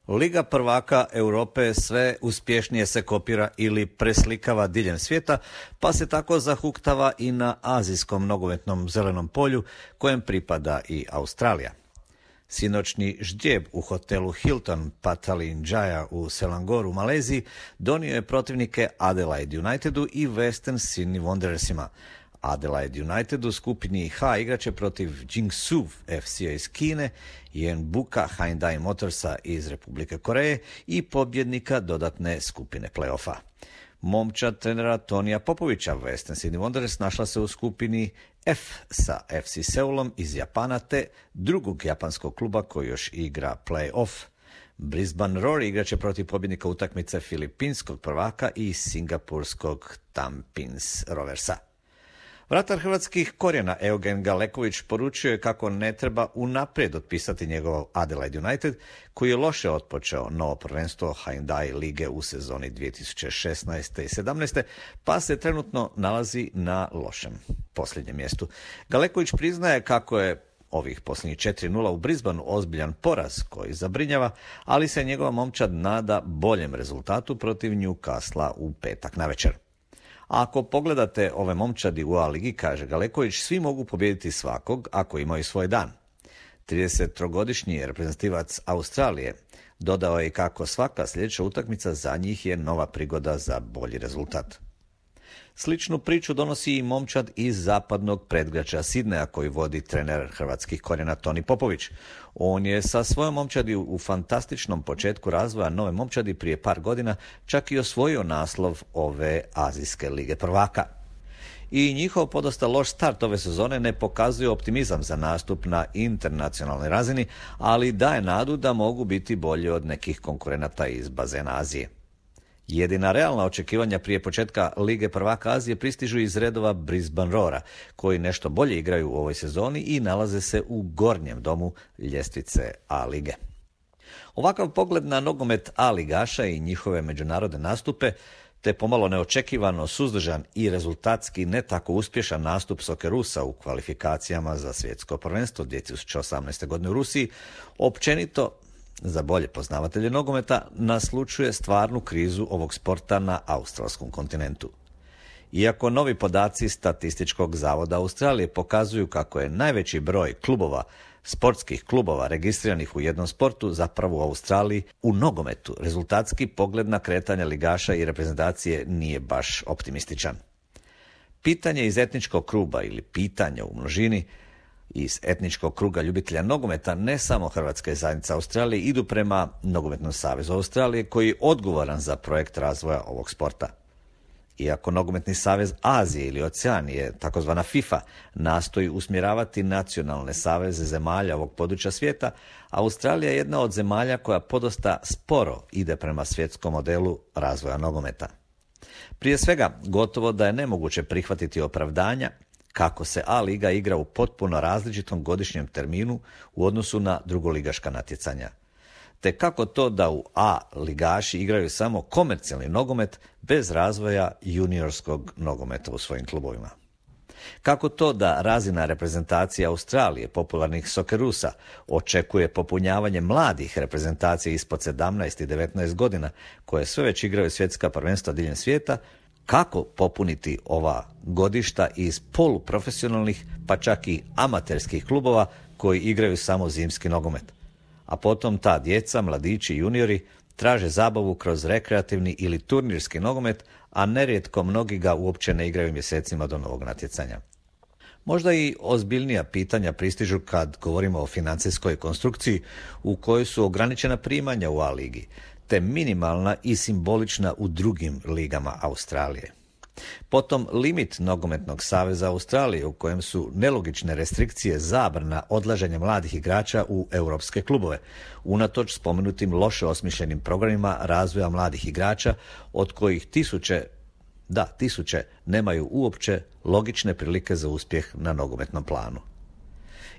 Liga prvaka Europe sve uspješnije se kopira ili preslikava diljem svijeta, pa se tako zahuktava i na azijskom nogometnom zelenom polju, kojem pripada i Australija. Sinoćni ždrijeb u hotelu Hilton Patalinjaya u Selangoru u Maleziji donio je protivnike Adelaide Unitedu i Western Sydney Wanderersima. Adelaide United u skupini H igraće protiv Jiangsu FC-a iz Kine, Jeonbuka Hyundai Motorsa iz Republike Koreje i pobjednika dodatne skupine play-offa. Momčad trenera Tonija Popovića Western Sydney Wanderers našla se u skupini F sa FC Seulom iz Japana te drugog japanskog kluba koji još igra play-off. Brisbane Roar igraće protiv pobjednika utakmice filipinskog prvaka i singapurskog Tampines Roversa. Vratar hrvatskih korijena Eugen Galeković poručio je kako ne treba unaprijed otpisati njegov Adelaide United, koji je loše otpočeo novo prvenstvo Hyundai lige u sezoni 2016. i 17. pa se trenutno nalazi na lošem posljednjem mjestu. Galeković priznaje kako je ovih posljednjih 4-0 u Brisbaneu ozbiljan poraz koji zabrinjava, ali se njegova momčad nada boljem rezultatu protiv Newcastlea u petak navečer. A ako pogledate ove momčadi u A ligi, kaže Galeković, svi mogu pobijediti svakog ako imaju svoj dan. 33-godišnji reprezentativac Australije dodao je kako svaka sljedeća utakmica za njih je nova prigoda za bolji rezultat. Sličnu priču donosi i momčad iz zapadnog predgrađa Sidneja koji vodi trener hrvatskih korijena Toni Popović. On je sa svojom momčadi u fantastičnom početku razvoja nove momčadi prije par godina čak i osvojio naslov ove azijske lige prvaka. I njihov podosta loš start ove sezone ne pokazuje optimizam za nastup na internacionalnoj razini, ali daje nadu da mogu biti bolji od nekih konkurenata iz bazena Azije. Jedina realna očekivanja prije početka Lige prvaka Azije pristižu iz redova Brisbane Roara, koji nešto bolje igraju u ovoj sezoni i nalaze se u gornjem domu ljestvice A lige. Ovakav pogled na nogomet A ligaša i njihove međunarodne nastupe, te pomalo neočekivano suzdržan i rezultatski ne tako uspješan nastup Soccerusa u kvalifikacijama za svjetsko prvenstvo 2018. godine u Rusiji, općenito za bolje poznavatelje nogometa naslučuje stvarnu krizu ovog sporta na australskom kontinentu. Iako novi podaci Statističkog zavoda Australije pokazuju kako je najveći broj klubova, sportskih klubova registriranih u jednom sportu zapravo u Australiji, u nogometu rezultatski pogled na kretanje ligaša i reprezentacije nije baš optimističan. Pitanje iz etničkog kruga ili pitanja u množini iz etničkog kruga ljubitelja nogometa ne samo Hrvatska zajednica Australije idu prema Nogometnom savezu Australije koji je odgovoran za projekt razvoja ovog sporta. Iako Nogometni savez Azije ili Oceanije, takozvana FIFA, nastoji usmjeravati nacionalne saveze zemalja ovog područja svijeta, Australija je jedna od zemalja koja podosta sporo ide prema svjetskom modelu razvoja nogometa. Prije svega, gotovo da je nemoguće prihvatiti opravdanja kako se A liga igra u potpuno različitom godišnjem terminu u odnosu na drugoligaška natjecanja. Te kako to da u A ligaši igraju samo komercijalni nogomet bez razvoja juniorskog nogometa u svojim klubovima. Kako to da razina reprezentacije Australije, popularnih Soccerusa, očekuje popunjavanje mladih reprezentacija ispod 17 i 19 godina, koje sve već igraju svjetska prvenstva diljem svijeta, kako popuniti ova godišta iz poluprofesionalnih, pa čak i amaterskih klubova koji igraju samo zimski nogomet. A potom ta djeca, mladići i juniori traže zabavu kroz rekreativni ili turnirski nogomet, a nerijetko mnogi ga uopće ne igraju mjesecima do novog natjecanja. Možda i ozbiljnija pitanja pristižu kad govorimo o financijskoj konstrukciji u kojoj su ograničena primanja u A ligi, te minimalna i simbolična u drugim ligama Australije. Potom limit Nogometnog saveza Australije u kojem su nelogične restrikcije zabrana odlaženja mladih igrača u europske klubove, unatoč spomenutim loše osmišljenim programima razvoja mladih igrača, od kojih tisuće nemaju uopće logične prilike za uspjeh na nogometnom planu.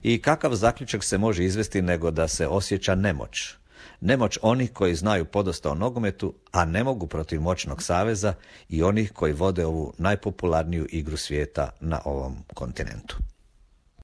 I kakav zaključak se može izvesti nego da se osjeća nemoć? Nemoć onih koji znaju podosta o nogometu, a ne mogu protiv moćnog saveza, i onih koji vode ovu najpopularniju igru svijeta na ovom kontinentu.